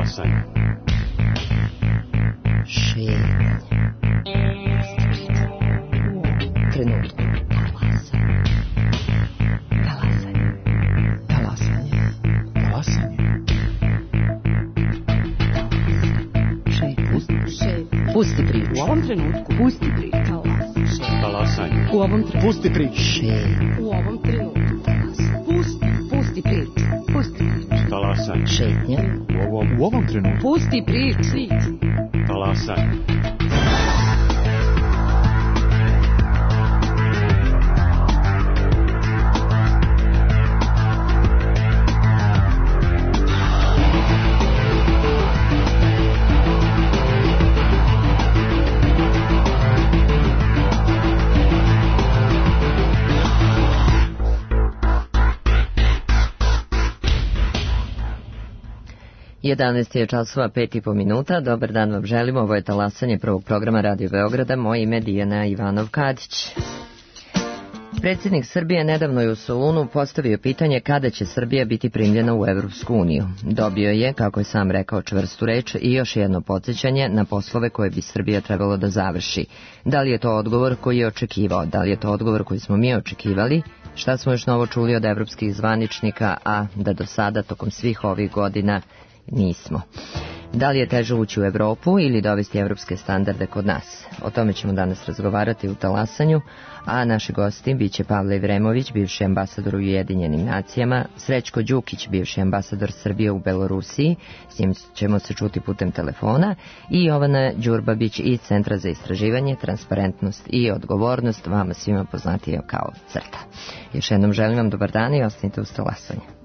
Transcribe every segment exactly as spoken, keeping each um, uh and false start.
Talasanje. Šetnje. Trenutku. Talasanje. Talasanje. Talasanje. Pusti priču. U ovom trenutku. Pusti priču. Talasanje. U ovom trenutku. Pusti priču. Šetnje. U ovom trenutku. Pusti. Pusti priču. Pusti priču. Talasanje. Šetnje. U ovom, u ovom trenutku. Pusti priču. Talasanje. jedanaest je časova, pet i po minuta. Dobar dan vam želimo. Ovo je Talasanje prvog programa Radio Beograda. Moje ime je Dijana Ivanov-Kadić. Predsjednik Srbije nedavno je u Solunu postavio pitanje kada će Srbija biti primljena u Evropsku uniju. Dobio je, kako je sam rekao, čvrstu reč i još jedno podsjećanje na poslove koje bi Srbija trebalo da završi. Da li je to odgovor koji je očekivao? Da li je to odgovor koji smo mi očekivali? Šta smo još novo čuli od evropskih zvaničnika, a da do sada, tokom svih ovih godina, nismo? Da li je teže ući u Evropu ili dovesti evropske standarde kod nas? O tome ćemo danas razgovarati u Talasanju, a naši gosti biće Pavle Ivremović, bivši ambasador u Ujedinjenim nacijama, Srećko Đukić, bivši ambasador Srbije u Belorusiji, s njim ćemo se čuti putem telefona, i Jovana Đurbabić iz Centra za istraživanje, transparentnost i odgovornost, vama svima poznatije kao CRTA. Još jednom želim vam dobar dan i ostanite uz Talasanje.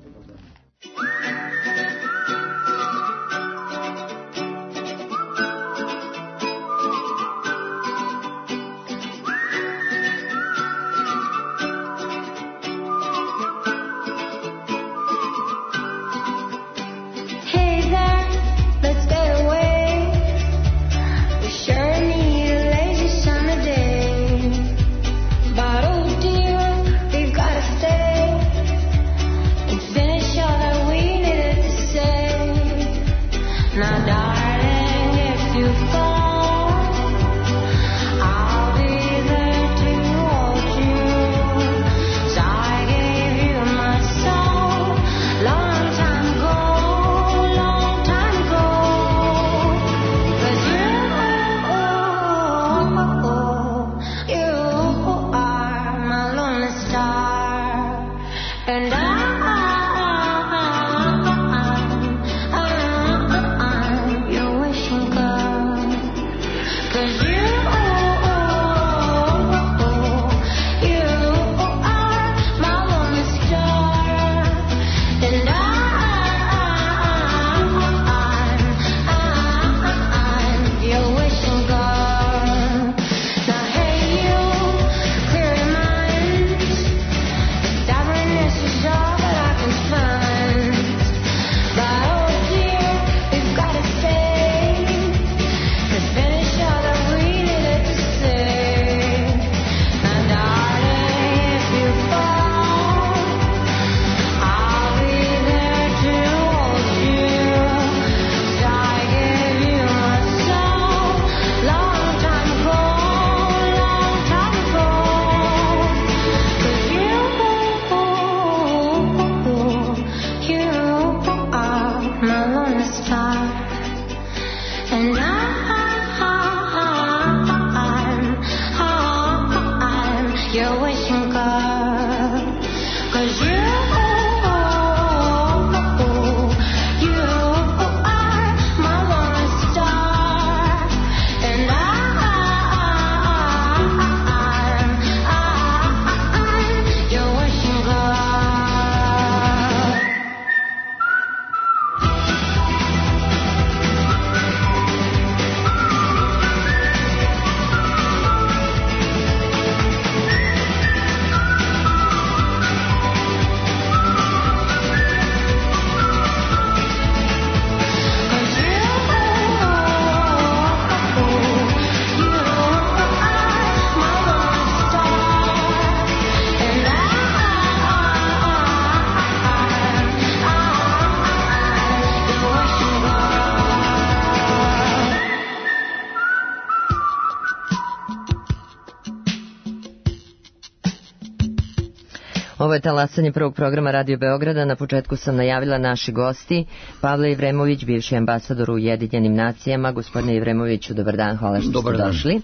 Ovo je talasanje prvog programa Radio Beograda. Na početku sam najavila naši gosti. Pavle Jevremović, bivši ambasador u Ujedinjenim nacijama. Gospodine Jevremoviću, dobar dan, hvala što dobar ste dan. došli.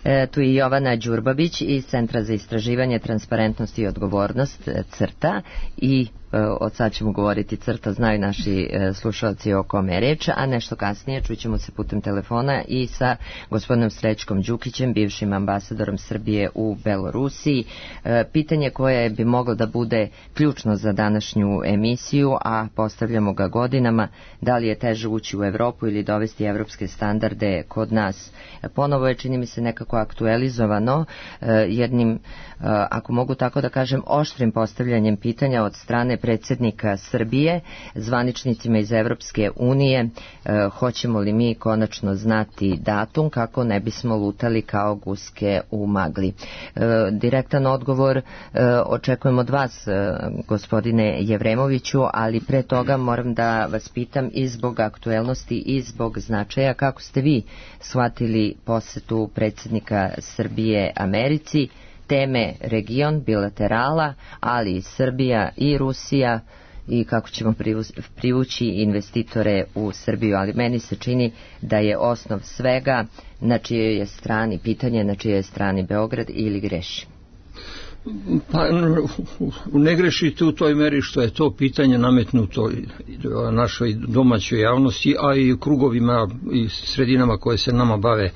E, tu je Jovana Đurbabić iz Centra za istraživanje, transparentnost i odgovornost, CRTA, i od sad ćemo govoriti CRTA, znaju naši slušalci o kome je reč, a nešto kasnije čućemo se putem telefona i sa gospodinom Srećkom Đukićem, bivšim ambasadorom Srbije u Belorusiji. Pitanje koje bi moglo da bude ključno za današnju emisiju, a postavljamo ga godinama, da li je teže ući u Evropu ili dovesti evropske standarde kod nas. Ponovo je, čini mi se, nekako aktualizovano jednim, ako mogu tako da kažem, oštrim postavljanjem pitanja od strane predsjednika Srbije zvaničnicima iz Evropske unije, e, hoćemo li mi konačno znati datum kako ne bismo lutali kao guske u magli. E, direktan odgovor e, očekujem od vas, e, gospodine Jevremoviću, ali pre toga moram da vas pitam i zbog aktuelnosti i zbog značaja, kako ste vi shvatili posetu predsjednika Srbije Americi, teme region, bilaterala, ali i Srbija i Rusija, i kako ćemo privući investitore u Srbiju, ali meni se čini da je osnov svega na čijoj je strani, pitanje na čijoj je strani Beograd, ili greši? Pa ne grešite u toj meri što je to pitanje nametnuto našoj domaćoj javnosti, a i krugovima i sredinama koje se nama bave,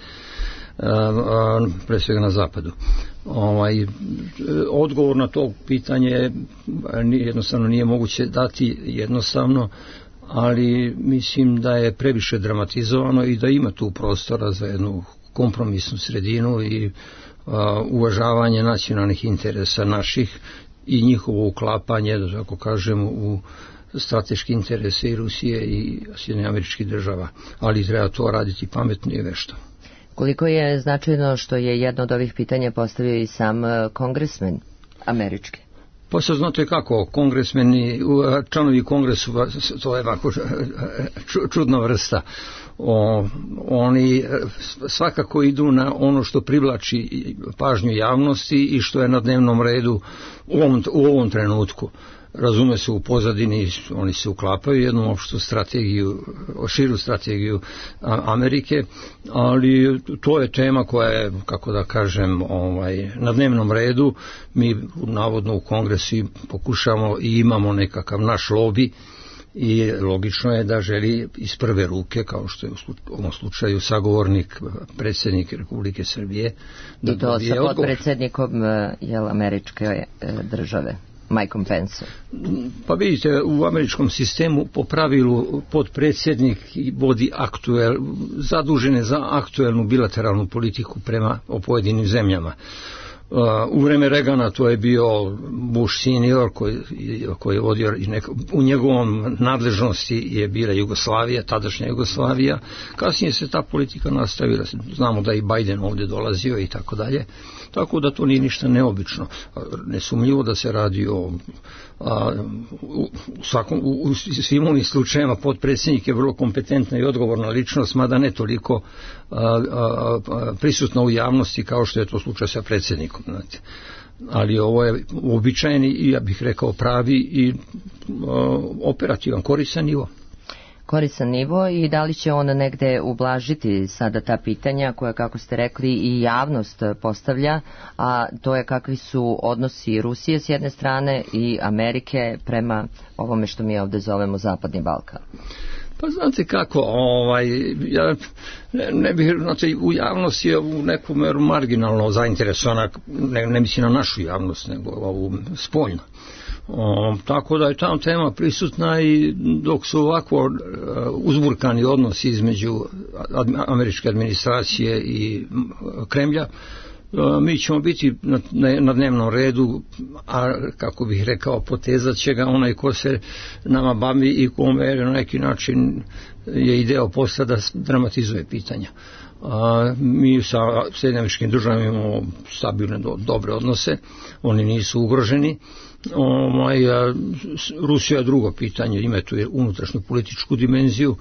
pre svega na zapadu. Ovaj, odgovor na to pitanje jednostavno nije moguće dati jednostavno, ali mislim da je previše dramatizovano i da ima tu prostora za jednu kompromisnu sredinu i a, uvažavanje nacionalnih interesa naših i njihovo uklapanje, da tako kažem, u strateški interese i Rusije i Sjedinjenih Američkih Država, ali treba to raditi pametno i vešto. Koliko je značajno što je jedno od ovih pitanja postavio i sam kongresmen američki? Pa sad znate kako, kongresmeni, članovi kongresu, to je ovako čudna vrsta. O, oni svakako idu na ono što privlači pažnju javnosti i što je na dnevnom redu u ovom, u ovom trenutku. Razume se, u pozadini oni se uklapaju jednu opštu strategiju, širu strategiju Amerike, ali to je tema koja je, kako da kažem, ovaj, na dnevnom redu. Mi navodno u kongresu pokušamo i imamo nekakav naš lobi i logično je da želi iz prve ruke, kao što je u ovom slučaju sagovornik, predsjednik Republike Srbije, da i to sa podpredsjednikom jel, američke države, Mikeom Pence. Pa vidite, u američkom sistemu po pravilu podpredsjednik vodi aktuel, zadužene za aktuelnu bilateralnu politiku prema o pojedinim zemljama. U vreme Reagana to je bio Bush senior koji, koji je vodio, u njegovom nadležnosti je bila Jugoslavija, tadašnja Jugoslavija. Kasnije se ta politika nastavila, znamo da i Biden ovdje dolazio i tako dalje. Tako da to nije ništa neobično. Nesumnjivo da se radi o a, u, svakom, u, u svim onim slučajima podpredsjednik je vrlo kompetentna i odgovorna ličnost, mada ne toliko a, a, a, prisutna u javnosti kao što je to slučaj sa predsjednikom. Znate. Ali ovo je uobičajeni i, ja bih rekao, pravi i a, operativan, koristan nivo. Koristan nivo, i da li će on negde ublažiti sada ta pitanja koja, kako ste rekli, i javnost postavlja, a to je kakvi su odnosi Rusije s jedne strane i Amerike prema ovome što mi ovdje zovemo Zapadni Balkan? Pa znate kako, ovaj, ja ne, ne bih, znači, u javnosti je u nekom meru marginalno zainteresovana, ne, ne mislim na našu javnost, nego ovu spoljno. O, tako da je ta tema prisutna, i dok su ovako uh, uzburkani odnosi između ad, američke administracije i Kremlja, uh, mi ćemo biti na, na dnevnom redu, a kako bih rekao, potezat će ga onaj ko se nama bavi i kome na neki način je ideja posla da dramatizuje pitanja. A, mi sa Sjedinjenim Američkim Državama imamo stabilne, do, dobre odnose, oni nisu ugroženi. Ovaj, a, Rusija je drugo pitanje, ima tu unutrašnju političku dimenziju,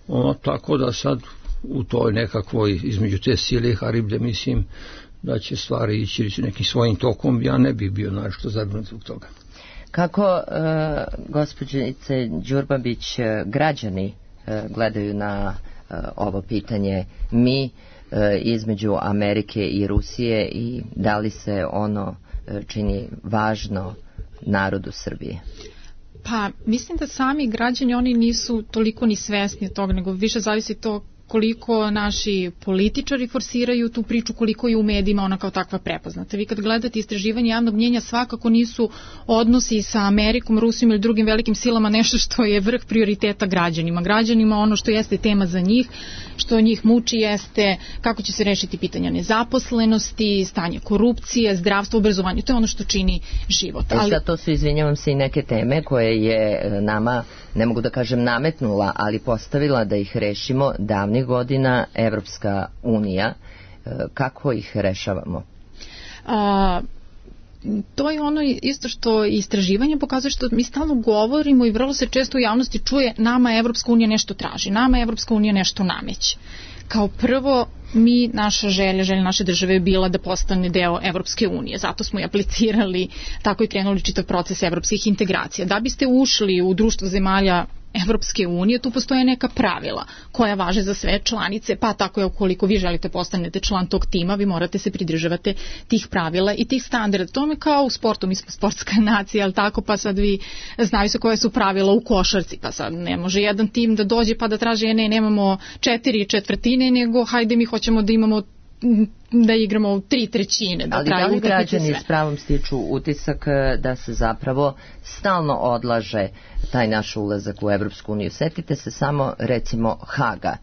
o, tako da sad u toj nekakvoj, između te sile i Hariblje, mislim da će stvari ići nekim svojim tokom. Ja ne bih bio našto zabrinut zbog toga. Kako, gospođice Đurbabić, građani gledaju na ovo pitanje mi između Amerike i Rusije i da li se ono čini važno narodu Srbije? Pa, mislim da sami građani, oni nisu toliko ni svesni toga, nego više zavisi to koliko naši političari forsiraju tu priču, koliko je u medijima ona kao takva prepoznata. Vi kad gledate istraživanje javnog mnjenja, svakako nisu odnosi sa Amerikom, Rusijom ili drugim velikim silama nešto što je vrh prioriteta građanima. Građanima ono što jeste tema za njih, što njih muči jeste kako će se rešiti pitanja nezaposlenosti, stanje korupcije, zdravstvo, obrazovanje. To je ono što čini život. Ali... Sad to su, izvinjavam se, i neke teme koje je nama, ne mogu da kažem nametnula, ali postavila da ih rešimo davnih godina Evropska unija. Kako ih rešavamo? A, to je ono isto što istraživanje pokazuje, što mi stalno govorimo i vrlo se često u javnosti čuje nama Evropska unija nešto traži, nama Evropska unija nešto nameće. Kao prvo, mi, naša želja, želja naše države je bila da postane deo Evropske unije. Zato smo i aplicirali, tako i krenuli čitav proces evropskih integracija. Da biste ušli u društvo zemalja Evropske unije, tu postoje neka pravila koja važe za sve članice, pa tako je ukoliko vi želite postanete član tog tima, vi morate se pridržavati tih pravila i tih standarda. To je kao u sportu, mi smo sportska nacija, ali tako, pa sad vi znaju se koje su pravila u košarci, pa sad ne može jedan tim da dođe pa da traže, ne, nemamo četiri četvrtine, nego hajde mi hoćemo da imamo da igramo u tri trećine. Da ali da li građani s pravom stiču utisak da se zapravo stalno odlaže taj naš ulazak u Evropsku uniju? Setite se samo recimo Haga.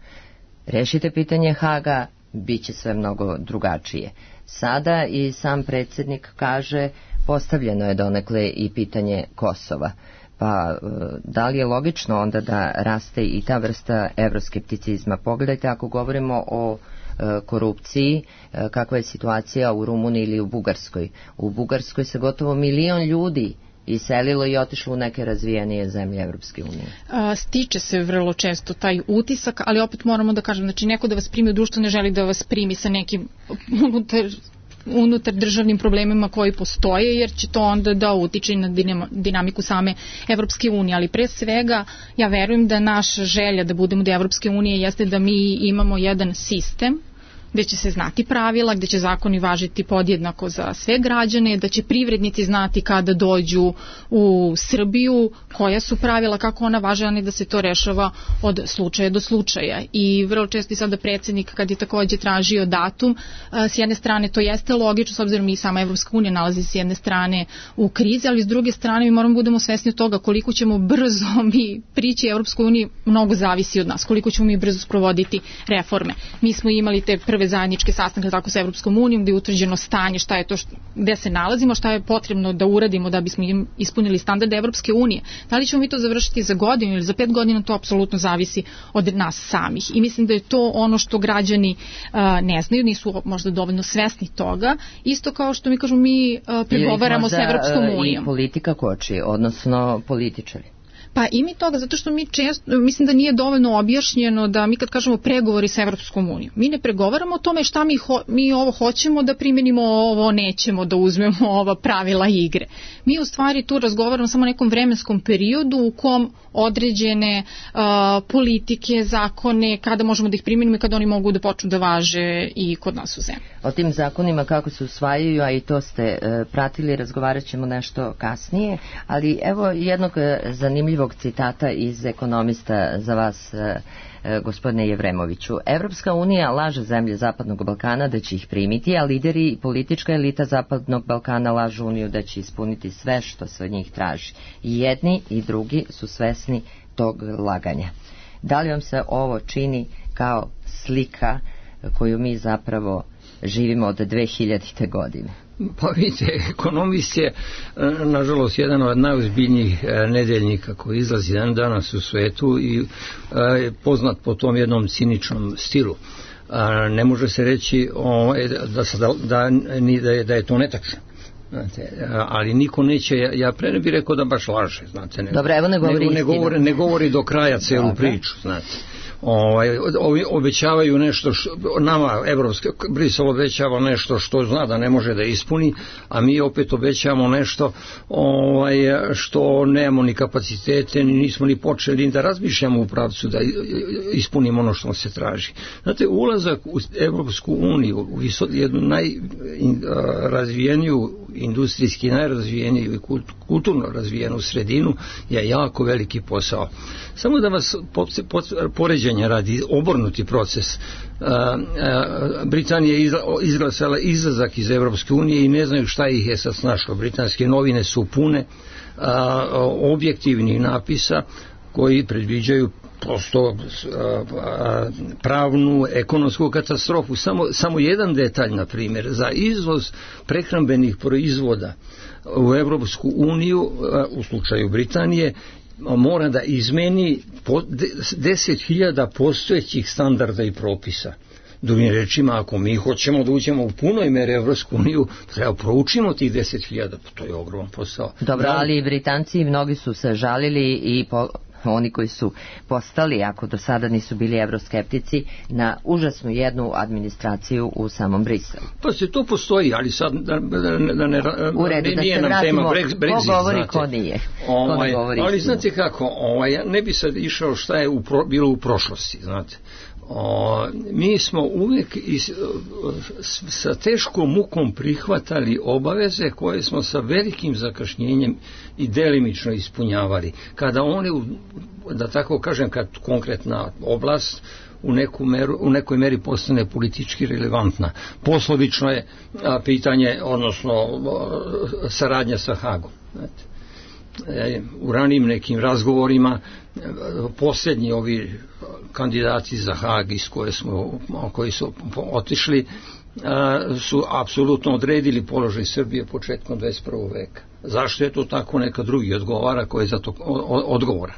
Rešite pitanje Haga, bit će sve mnogo drugačije. Sada i sam predsjednik kaže postavljeno je donekle i pitanje Kosova. Pa da li je logično onda da raste i ta vrsta evroskepticizma? Pogledajte, ako govorimo o korupciji, kakva je situacija u Rumuniji ili u Bugarskoj. U Bugarskoj se gotovo milion ljudi iselilo i otišlo u neke razvijenije zemlje Evropske unije. Stiče se vrlo često taj utisak, ali opet moramo da kažem, znači neko da vas primi u društvo ne želi da vas primi sa nekim unutar unutar državnim problemima koji postoje, jer će to onda da utiče na dinamiku same Evropske unije. Ali pre svega, ja verujem da naša želja da budemo do Evropske unije jeste da mi imamo jedan sistem gde će se znati pravila, gde će zakoni važiti podjednako za sve građane, da će privrednici znati kada dođu u Srbiju, koja su pravila, kako ona važe, a ne da se to rešava od slučaja do slučaja. I vrlo često i sada predsjednik, kad je takođe tražio datum, s jedne strane to jeste logično, s obzirom i sama Evropska unija nalazi se s jedne strane u krizi, ali s druge strane mi moramo budemo svesni od toga koliko ćemo brzo mi prići Evropskoj uniji, mnogo zavisi od nas, koliko ćemo mi brzo sprovoditi reforme. Mi smo imali te prve zajedničke sastanke tako sa Evropskom unijom gde je utvrđeno stanje, šta je to, što, gde se nalazimo, šta je potrebno da uradimo da bismo ispunili standarde Evropske unije. Da li ćemo mi to završiti za godinu ili za pet godina, to apsolutno zavisi od nas samih. I mislim da je to ono što građani uh, ne znaju, nisu možda dovoljno svesni toga. Isto kao što mi kažemo, mi uh, pregovaramo sa Evropskom unijom. I politika koči, odnosno političari. Pa i mi toga, zato što mi često, mislim da nije dovoljno objašnjeno da mi kad kažemo pregovori sa Evropskom unijom, mi ne pregovaramo o tome šta mi, ho, mi ovo hoćemo da primenimo, ovo nećemo da uzmemo ova pravila igre. Mi u stvari tu razgovaramo samo o nekom vremenskom periodu u kom određene uh, politike, zakone, kada možemo da ih primenimo i kada oni mogu da počnu da važe i kod nas u zemlji. O tim zakonima kako se usvajaju, a i to ste uh, pratili, razgovarat ćemo nešto kasnije, ali evo jednog uh, zanimljivog citata iz Ekonomista za vas, gospodine Jevremoviću. Evropska unija laže zemlje Zapadnog Balkana da će ih primiti, a lideri i politička elita Zapadnog Balkana lažu uniju da će ispuniti sve što se od njih traži. I jedni i drugi su svesni tog laganja. Da li vam se ovo čini kao slika koju mi zapravo živimo od dve hiljadite godine? Pa vidite, Ekonomist je nažalost jedan od najozbiljnijih nedeljnika koji izlazi dan danas u svetu i je poznat po tom jednom ciničnom stilu. Ne može se reći da, da, da, da, je, da je to netačno. Znate, ali niko neće, ja, ja pre ne bih rekao da baš laže, znate, nego, Dobre, evo ne govori, nego, ne, govori ne govori do kraja celu Dobre. priču, znate. ovaj, obećavaju nešto što, nama evropske, Brisel obećava nešto što zna da ne može da ispuni, a mi opet obećavamo nešto ovaj, što nemamo ni kapacitete, ni nismo ni počeli da razmišljamo u pravcu da ispunimo ono što se traži. Znate, ulazak u Evropsku uniju, u jednu najrazvijeniju, industrijski najrazvijeniju i kulturno razvijenu sredinu je jako veliki posao. Samo da vas poređenja radi, obrnuti proces. Britanija je izglasala izlazak iz Evropske unije i ne znaju šta ih je sad snašlo. Britanske novine su pune objektivnih napisa koji predviđaju prosto pravnu, ekonomsku katastrofu. Samo, samo jedan detalj, na primjer, za izvoz prehrambenih proizvoda u Evropsku uniju, u slučaju Britanije, mora da izmeni deset hiljada postojećih standarda i propisa. Drugim rečima, ako mi hoćemo da uđemo u punoj meri Evropsku uniju, treba proučimo tih deset hiljada, to je ogroman posao. Dobro, ali i Britanci mnogi su se žalili i po, oni koji su postali, ako do sada nisu bili evroskeptici, na užasnu jednu administraciju u samom Briselu. Pa se to postoji, ali sad da, da, da ne, u redu, ne, da nije se nam vratimo, tema Brexit, ko govori, znate. ko nije. Ovaj, ko govori ali istinu. znate kako, ovaj, ja ne bi sad išao šta je u pro, bilo u prošlosti, znate. O, mi smo uvijek is, sa teškom mukom prihvatali obaveze koje smo sa velikim zakašnjenjem i delimično ispunjavali. Kada oni, da tako kažem, kad konkretna oblast u, neku meru, u nekoj meri postane politički relevantna. Poslovično je a, pitanje, odnosno a, saradnja sa Hagom. Znate. U ranijim nekim razgovorima posljednji ovi kandidati za Hag iz koje smo, koji su otišli su apsolutno odredili položaj Srbije početkom dvadeset prvog veka. Zašto je to tako, neka drugi odgovara koji je za to odgovoran.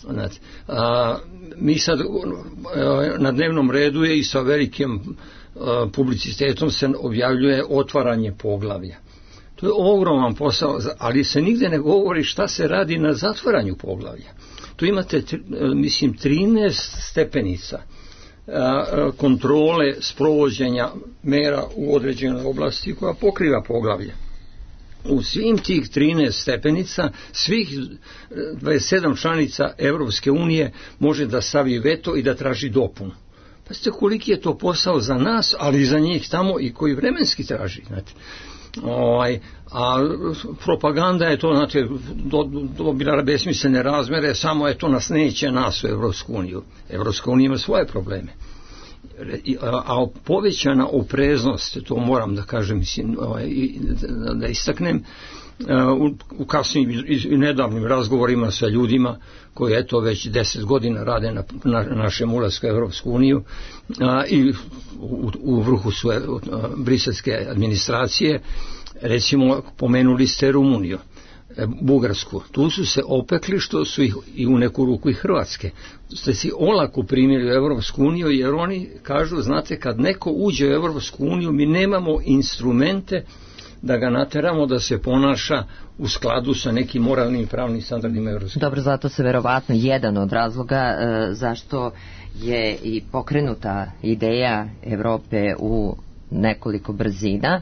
Znači, a, mi sad na dnevnom redu je i sa velikim a, publicitetom se objavljuje otvaranje poglavlja. To je ogroman posao, ali se nigde ne govori šta se radi na zatvaranju poglavlja. Tu imate, mislim, trinaest stepenica kontrole sprovođenja mera u određenoj oblasti koja pokriva poglavlje. U svim tih trinaest stepenica, svih dvadeset sedam članica Evropske unije može da stavi veto i da traži dopunu. Pa ste koliki je to posao za nas, ali i za njih tamo i koji vremenski traži, znate. Ovaj, a propaganda je to, znate, dobila do, besmislene razmere, samo je to nas neće nas u Evropsku uniju. Evropska unija ima svoje probleme. A, a povećana opreznost, to moram da kažem, mislim, ovaj, da, da istaknem, u, u kasnim i nedavnim razgovorima sa ljudima koji eto već deset godina rade na, na našem ulasku u Evropsku uniju a, i u, u vrhu su a, briselske administracije, recimo pomenuli ste Rumuniju, e, Bugarsku, tu su se opekli što su ih i u neku ruku i Hrvatske, ste si olako primili u Evropsku uniju jer oni kažu, znate, kad neko uđe u Evropsku uniju mi nemamo instrumente da ga nateramo da se ponaša u skladu sa nekim moralnim i pravnim standardima Evropske. Dobro, zato se verovatno jedan od razloga e, zašto je i pokrenuta ideja Evrope u nekoliko brzina.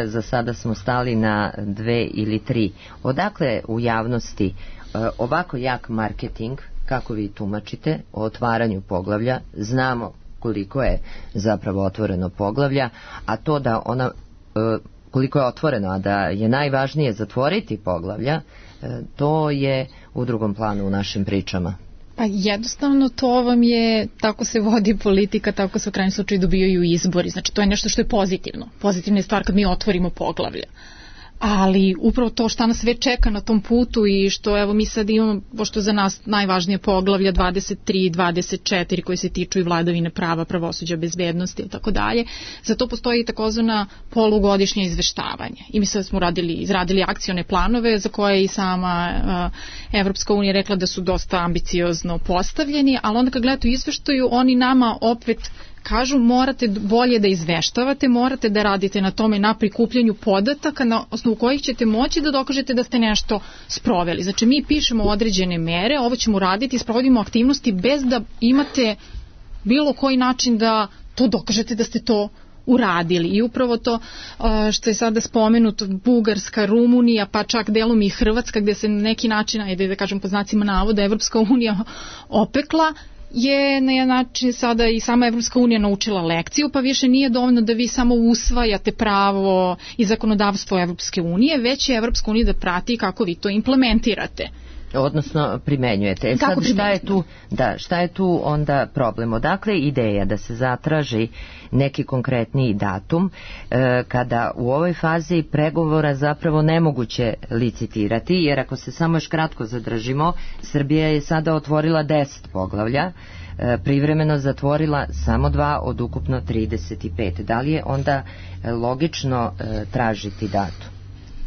Za sada smo stali na dve ili tri. Odakle u javnosti e, ovako jak marketing, kako vi tumačite, o otvaranju poglavlja? Znamo koliko je zapravo otvoreno poglavlja, a to da ona e, koliko je otvoreno, a da je najvažnije zatvoriti poglavlja, to je u drugom planu u našim pričama. Pa jednostavno to vam je, tako se vodi politika, tako se u krajnjem slučaju dobijaju izbori. Znači to je nešto što je pozitivno. Pozitivna je stvar kad mi otvorimo poglavlja. Ali upravo to šta nas već čeka na tom putu i što evo mi sad imamo, pošto za nas najvažnije poglavlja dvadeset tri i dvadeset četiri koje se tiču i vladavine prava, pravosuđa, bezbednosti i tako dalje, za to postoji takozvana polugodišnje izveštavanje. I mi sad smo radili, izradili akcione planove za koje i sama uh, Evropska unija rekla da su dosta ambiciozno postavljeni, ali onda kad gledate u izveštaju, oni nama opet kažu morate bolje da izveštavate, morate da radite na tome, na prikupljanju podataka na osnovu kojih ćete moći da dokažete da ste nešto sproveli. Znači mi pišemo određene mere, ovo ćemo raditi, sprovodimo aktivnosti bez da imate bilo koji način da to dokažete da ste to uradili. I upravo to što je sada spomenuto, Bugarska, Rumunija, pa čak delom i Hrvatska, gde se na neki način, ajde da kažem po znacima navoda, Evropska unija opekla, je na jedan način sada i sama Evropska unija naučila lekciju, pa više nije dovoljno da vi samo usvajate pravo i zakonodavstvo Evropske unije, već je Evropska unija da prati kako vi to implementirate. Odnosno primenjujete. E sad šta je tu, da, šta je tu onda problem? Odakle ideja da se zatraži neki konkretniji datum e, kada u ovoj fazi pregovora zapravo nemoguće licitirati, jer ako se samo još kratko zadržimo, Srbija je sada otvorila deset poglavlja, e, privremeno zatvorila samo dva od ukupno trideset pet. Da li je onda logično e, tražiti datum?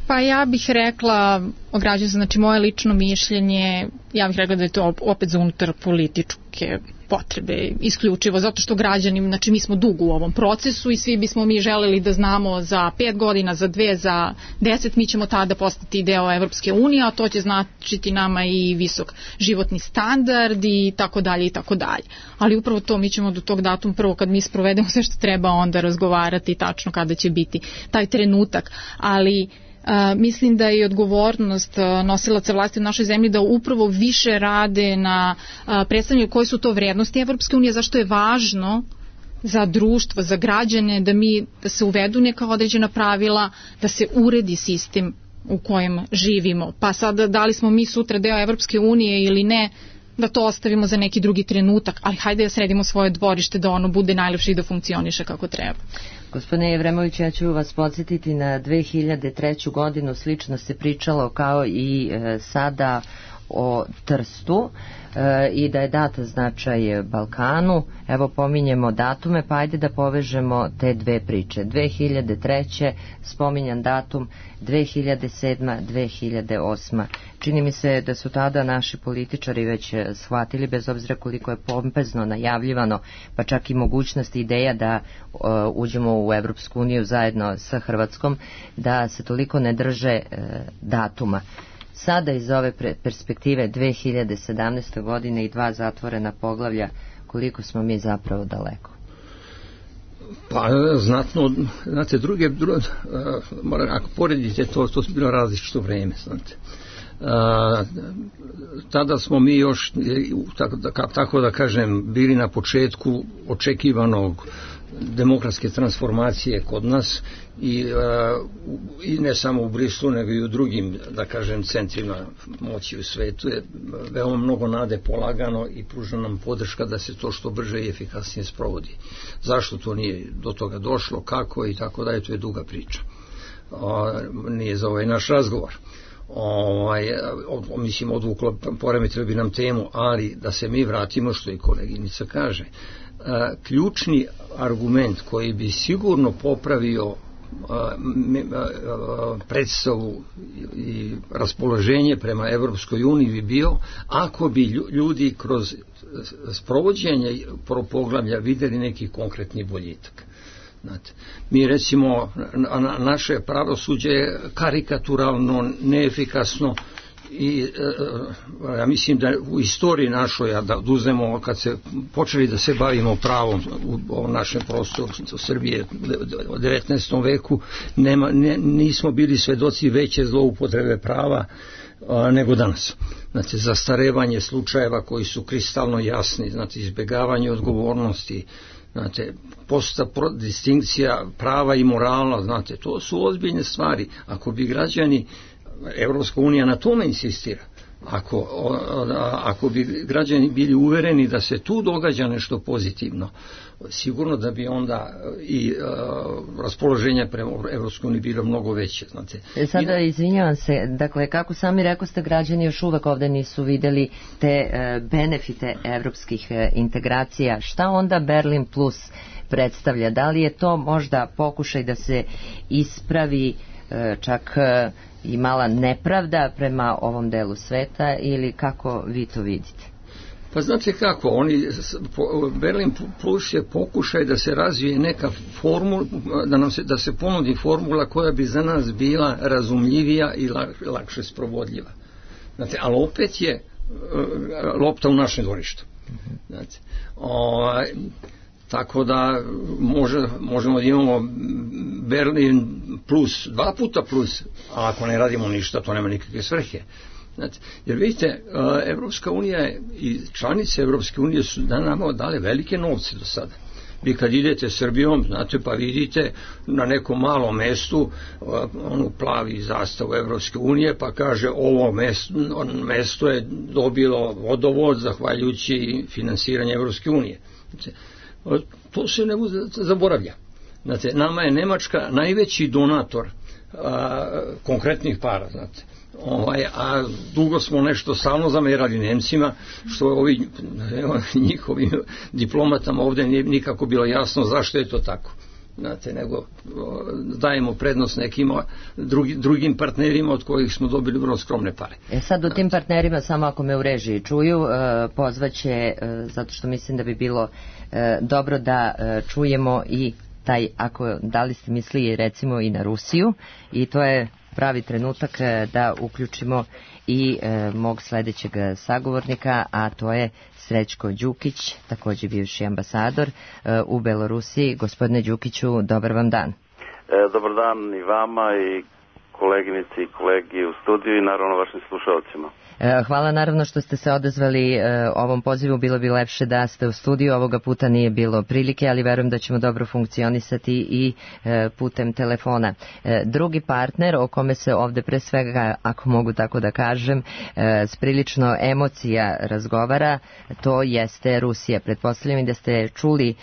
Pa ja bih rekla, ograđujem se, znači moje lično mišljenje, ja bih rekla da je to opet za unutar političke potrebe isključivo, zato što građani, znači mi smo dugo u ovom procesu i svi bismo mi želeli da znamo za pet godina, za dve, za deset, mi ćemo tada postati deo Evropske unije, a to će značiti nama i visok životni standard i tako dalje i tako dalje. Ali upravo to, mi ćemo do tog datuma prvo kad mi sprovedemo sve što treba onda razgovarati tačno kada će biti taj trenutak, ali Uh, mislim da je odgovornost uh, nosilaca vlasti u našoj zemlji da upravo više rade na uh, predstavljanju koje su to vrednosti Evropske unije, zašto je važno za društvo, za građane da mi da se uvedu neka određena pravila, da se uredi sistem u kojem živimo. Pa sada da li smo mi sutra deo Evropske unije ili ne, da to ostavimo za neki drugi trenutak, ali hajde da sredimo svoje dvorište da ono bude najlepše i da funkcioniše kako treba. Gospodine Jevremović, ja ću vas podsjetiti na dve hiljade treću godinu, slično se pričalo kao i e, sada o Trstu e, i da je dat značaj Balkanu. Evo pominjemo datume, pa ajde da povežemo te dve priče. dve hiljade treće spominjan datum, dve hiljade sedma, dve hiljade osma. Čini mi se da su tada naši političari već shvatili, bez obzira koliko je pompezno najavljivano, pa čak i mogućnost ideja da uh, uđemo u Evropsku uniju zajedno sa Hrvatskom, da se toliko ne drže uh, datuma. Sada iz ove perspektive dve hiljade sedamnaeste. godine i dva zatvorena poglavlja, koliko smo mi zapravo daleko? Pa znatno, znate, druge, druge uh, ako poredite to, to je bilo različito vreme, znate. Uh, tada smo mi još, tako da, tako da kažem, bili na početku očekivanog demokratske transformacije kod nas i, uh, i ne samo u Brislu nego i u drugim, da kažem, centrima moći u svetu je veoma mnogo nade polagano i pruža nam podrška da se to što brže i efikasnije sprovodi. Zašto to nije do toga došlo, kako i tako da je, to je duga priča. Uh, nije za ovaj naš razgovor. Ovaj, mislim, odvuklo, poremetilo bi nam temu, ali da se mi vratimo što i koleginica kaže. A, ključni argument koji bi sigurno popravio a, a, a, predstavu i raspoloženje prema Evropskoj uniji bi bio ako bi ljudi kroz sprovođenje poglavlja videli neki konkretni boljitak. Znate, mi recimo na, naše pravosuđe je karikaturalno, neefikasno i e, ja mislim da u istoriji našoj, da uzmemo kad se počeli da se bavimo pravom u, u našem prostoru Srbije u devetnaestom veku, nema, ne, nismo bili svedoci veće zloupotrebe prava a, nego danas. Znači, zastarevanje slučajeva koji su kristalno jasni, znači izbjegavanje odgovornosti, znate, posta distinkcija prava i morala, znate, to su ozbiljne stvari. Ako bi građani, Evropska unija na tome insistira, ako, ako bi građani bili uvereni da se tu događa nešto pozitivno, sigurno da bi onda i uh, raspoloženje prema Evropskoj uniji bilo mnogo veće. Znate. Sada izvinjavam se, dakle, kako sami rekoste, građani još uvek ovde nisu videli te uh, benefite evropskih uh, integracija. Šta onda Berlin plus predstavlja? Da li je to možda pokušaj da se ispravi uh, čak uh, i mala nepravda prema ovom delu sveta ili kako vi to vidite? Pa znate kako, oni, Berlin plus je pokušaj da se razvije neka formula, da, nam se, da se ponudi formula koja bi za nas bila razumljivija i lakše sprovodljiva. Znate, ali opet je lopta u našem dvorištu. Znate, ovaj, tako da može, možemo da imamo Berlin plus, dva puta plus, a ako ne radimo ništa, to nema nikakve svrhe. Znate, jer vidite, Evropska unija i članice Evropske unije su da nama dale velike novce do sada. Vi kad idete Srbijom, znate, pa vidite na nekom malom mestu onu plavi zastavu Evropske unije, pa kaže ovo mesto, mesto je dobilo vodovod zahvaljujući finansiranje Evropske unije. Znate, to se ne zaboravlja. Znate, nama je Nemačka najveći donator a, konkretnih para, znate. Ovaj, a dugo smo nešto stalno zamerali Nemcima, što ovi njihovim diplomatama ovdje nije nikako bilo jasno zašto je to tako. Znate, nego dajemo prednost nekim drugi, drugim partnerima od kojih smo dobili vrlo skromne pare. E sad u tim partnerima, samo ako me u režiji čuju, pozvaće, zato što mislim da bi bilo dobro da čujemo i taj, ako da li ste mislili recimo i na Rusiju, i to je pravi trenutak da uključimo i e, mog sledećeg sagovornika, a to je Srećko Đukić, također bivši ambasador e, u Belorusiji. Gospodine Đukiću, dobar vam dan. E, dobar dan i vama i koleginici i kolegi u studiju i naravno vašim slušalcima. Hvala naravno što ste se odazvali ovom pozivu, bilo bi lepše da ste u studiju, ovoga puta nije bilo prilike, ali verujem da ćemo dobro funkcionisati i putem telefona. Drugi partner o kome se ovde pre svega, ako mogu tako da kažem, s prilično emocija razgovara, to jeste Rusija. Pretpostavljam i da ste čuli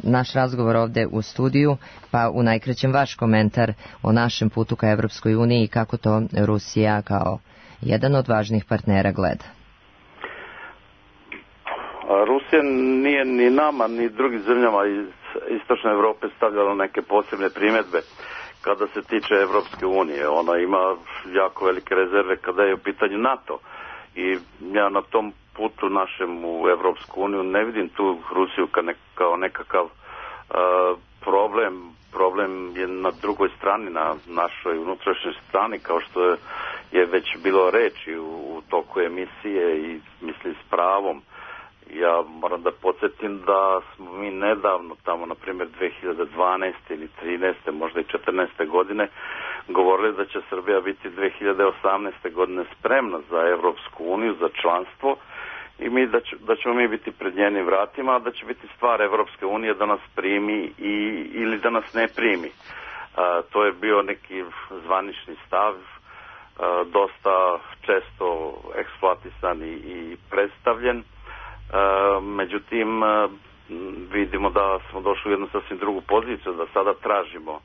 naš razgovor ovde u studiju, pa u najkraćem vaš komentar o našem putu ka Evropskoj uniji i kako to Rusija kao jedan od važnih partnera gleda. Rusija nije ni nama, ni drugim zemljama iz istočne Evrope stavljala neke posebne primjedbe kada se tiče Evropske unije. Ona ima jako velike rezerve kada je u pitanju NATO. I ja na tom putu našem u Evropsku uniju ne vidim tu Rusiju kao nekakav uh, problem. Problem je na drugoj strani, na našoj unutrašnjoj strani, kao što je je već bilo reči u, u toku emisije i misli s pravom. Ja moram da podsjetim da smo mi nedavno, tamo na primjer dve hiljade dvanaeste ili trinaeste, možda i četrnaeste godine, govorili da će Srbija biti dve hiljade osamnaeste godine spremna za Evropsku uniju, za članstvo i mi da, će, da ćemo mi biti pred njenim vratima, a da će biti stvar Evropske unije da nas primi i, ili da nas ne primi. A, to je bio neki zvanični stav, dosta često eksploatisan i, i predstavljen. E, međutim, vidimo da smo došli u jednu sasvim drugu poziciju, da sada tražimo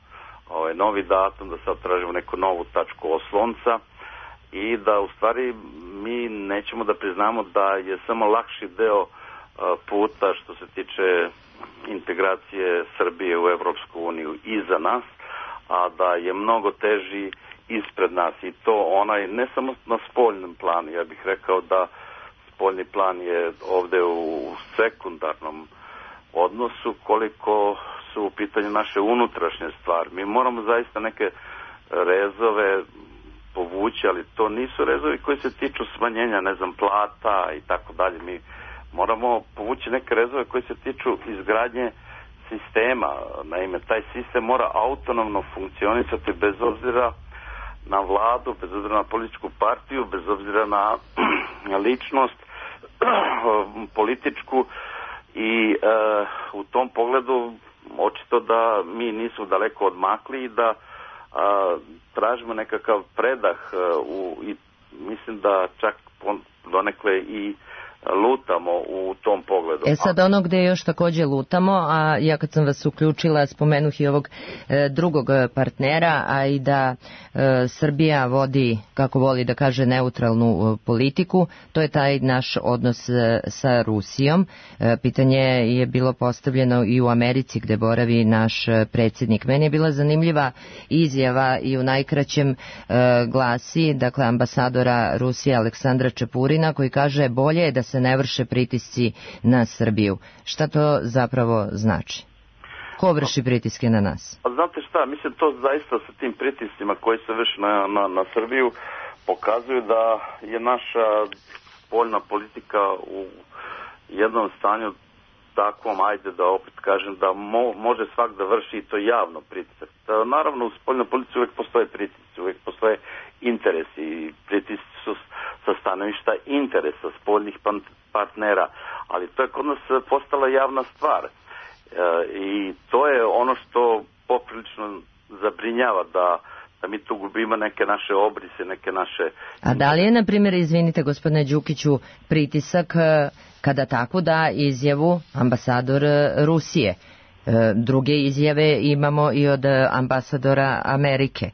ovaj novi datum, da sad tražimo neku novu tačku oslonca i da u stvari mi nećemo da priznamo da je samo lakši deo puta što se tiče integracije Srbije u Evropsku uniju iza nas, a da je mnogo teži ispred nas i to onaj ne samo na spoljnom planu, ja bih rekao da spoljni plan je ovde u sekundarnom odnosu koliko su u pitanju naše unutrašnje stvari. Mi moramo zaista neke rezove povući, ali to nisu rezovi koji se tiču smanjenja, ne znam, plata i tako dalje. Mi moramo povući neke rezove koji se tiču izgradnje sistema. Naime, taj sistem mora autonomno funkcionisati bez obzira na vladu, bez obzira na političku partiju, bez obzira na ličnost političku i e, u tom pogledu očito da mi nismo daleko odmakli i da a, tražimo nekakav predah a, u, i mislim da čak donekle i lutamo u tom pogledu. E sad ono gde još takođe lutamo, a ja kad sam vas uključila spomenuh i ovog e, drugog partnera, a i da e, Srbija vodi, kako voli da kaže, neutralnu e, politiku, to je taj naš odnos e, sa Rusijom. E, pitanje je bilo postavljeno i u Americi gde boravi naš predsjednik. Meni je bila zanimljiva izjava i u najkraćem e, glasi, dakle, ambasadora Rusije Aleksandra Čepurina, koji kaže bolje je da se se ne vrše pritisci na Srbiju. Šta to zapravo znači? Ko vrši pritiske na nas? A znate šta, mislim to zaista sa tim pritiscima koji se vrši na, na, na Srbiju pokazuju da je naša spoljna politika u jednom stanju takvom, ajde da opet kažem, da mo, može svak da vrši i to javno pritisak. Da, naravno u spoljnoj politici uvijek postoje pritisci, uvijek postoje interesi i pritisci su sa stanovišta interesa spoljnih partnera, ali to je kod nas postala javna stvar. E, I to je ono što poprilično zabrinjava da da mi tu gubimo neke naše obrise, neke naše... A da li je, na primjer, izvinite gospodine Đukiću, pritisak kada tako da izjavu ambasador Rusije? Druge izjave imamo i od ambasadora Amerike.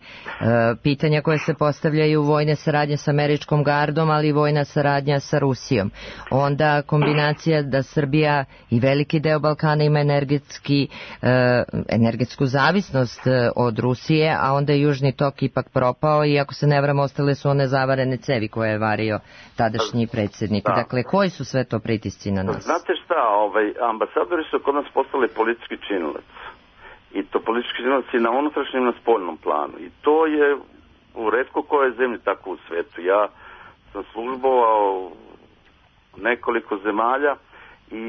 Pitanja koje se postavljaju, vojne saradnje sa američkom gardom, ali i vojna saradnja sa Rusijom. Onda kombinacija da Srbija i veliki deo Balkana ima energetski, energetsku zavisnost od Rusije, a onda je Južni tok ipak propao i ako se ne varam ostale su one zavarene cevi koje je vario tadašnji predsjednik. Da. Dakle, koji su sve to pritisci na nas? Znate šta, ovaj, ambasadori su kod nas postali politički činilac. I to politički činilac i na unutrašnjem i na spoljnom planu. I to je u retko koje zemlji tako u svetu. Ja sam službovao nekoliko zemalja i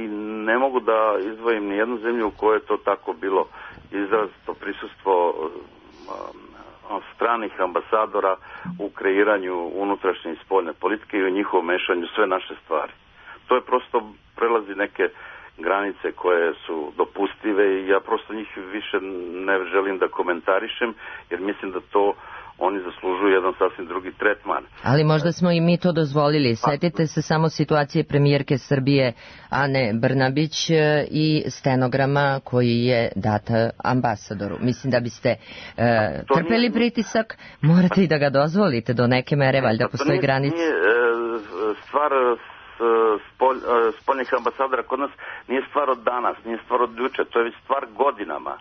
ne mogu da izdvojim ni jednu zemlju u kojoj je to tako bilo izrazito prisustvo um, stranih ambasadora u kreiranju unutrašnje i spoljne politike i u njihovom mešanju sve naše stvari. To je prosto prelazi neke granice koje su dopustive i ja prosto njih više ne želim da komentarišem jer mislim da to oni zaslužuju jedan sasvim drugi tretman. Ali možda smo i mi to dozvolili. Setite se samo situacije premijerke Srbije Ane Brnabić i stenograma koji je data ambasadoru. Mislim da biste e, trpeli nije... pritisak, morate i da ga dozvolite do neke mere, valjda postoji granica. Nije e, stvar Spolj, spoljnih ambasadora kod nas nije stvar od danas, nije stvar od juče, to je već stvar godinama.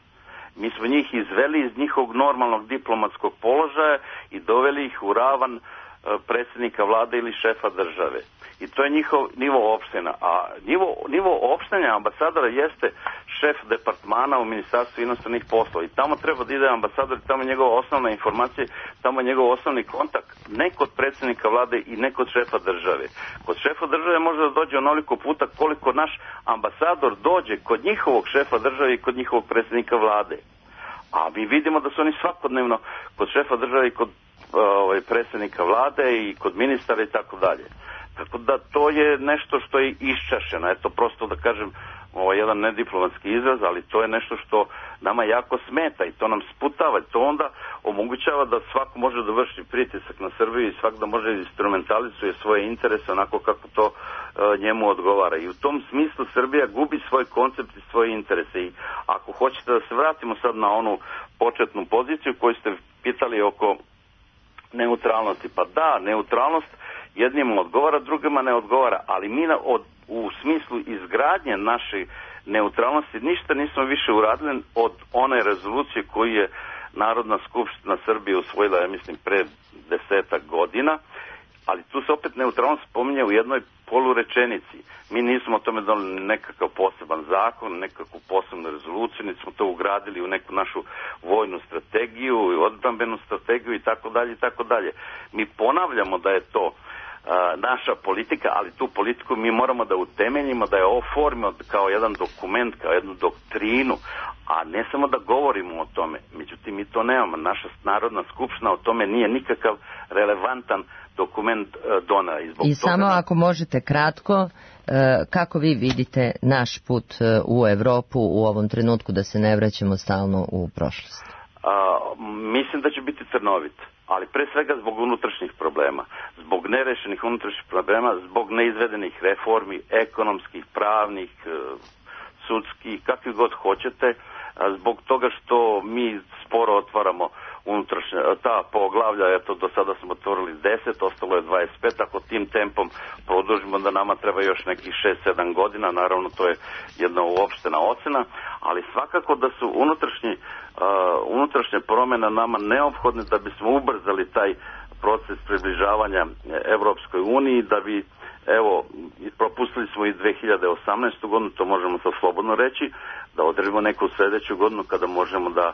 Mi smo njih izveli iz njihovog normalnog diplomatskog položaja i doveli ih u ravan predsjednika vlade ili šefa države. I to je njihov nivo opštenja. A nivo, nivo opštenja ambasadora jeste šef departmana u Ministarstvu inostranih poslova. I tamo treba da ide ambasador, tamo je njegova osnovna informacija, tamo je njegov osnovni kontakt, ne kod predsjednika vlade i ne kod šefa države. Kod šefa države može da dođe onoliko puta koliko naš ambasador dođe kod njihovog šefa države i kod njihovog predsjednika vlade. A mi vidimo da su oni svakodnevno kod šefa države i kod ovaj, predsjednika vlade i kod ministara i tako dalje. Tako da to je nešto što je iščašeno. Eto, prosto da kažem, ovo je jedan nediplomatski izraz, ali to je nešto što nama jako smeta i to nam sputava. To onda omogućava da svako može da vrši pritisak na Srbiju i svak da može instrumentalizuje svoje interese onako kako to e, njemu odgovara. I u tom smislu Srbija gubi svoj koncept i svoje interese. I ako hoćete da se vratimo sad na onu početnu poziciju koju ste pitali oko neutralnosti, pa da, neutralnost jednima odgovara, drugima ne odgovara, ali mi na, od, u smislu izgradnje naše neutralnosti ništa nismo više uradili od one rezolucije koju je Narodna skupština Srbije usvojila, ja mislim, pre desetak godina, ali tu se opet neutralnost spominje u jednoj polurečenici. Mi nismo o tome doneli nekakav poseban zakon, nekakvu posebnu rezoluciju, niti smo to ugradili u neku našu vojnu strategiju, odbrambenu strategiju i tako dalje i tako dalje. Mi ponavljamo da je to a, naša politika, ali tu politiku mi moramo da utemeljimo, da je oformimo kao jedan dokument, kao jednu doktrinu, a ne samo da govorimo o tome. Međutim, mi to nemamo. Naša Narodna skupština o tome nije nikakav relevantan dokument uh, donela. I, I samo toga... ako možete kratko, uh, kako vi vidite naš put uh, u Evropu u ovom trenutku, da se ne vraćamo stalno u prošlost? Uh, mislim da će biti trnovit, ali pre svega zbog unutrašnjih problema, zbog nerešenih unutrašnjih problema, zbog neizvedenih reformi, ekonomskih, pravnih, uh, sudskih, kakvi god hoćete, uh, zbog toga što mi sporo otvaramo unutrašnja, ta poglavlja, eto, do sada smo otvorili deset, ostalo je dvadeset pet, ako tim tempom produžimo da nama treba još nekih šest sedam godina, naravno to je jedna uopštena ocena, ali svakako da su unutrašnji, uh, unutrašnje promjene nama neophodne da bismo ubrzali taj proces približavanja Evropskoj uniji, da bi evo, propustili smo i dve hiljade osamnaestu godinu, to možemo sad slobodno reći, da odredimo neku sledeću godinu kada možemo da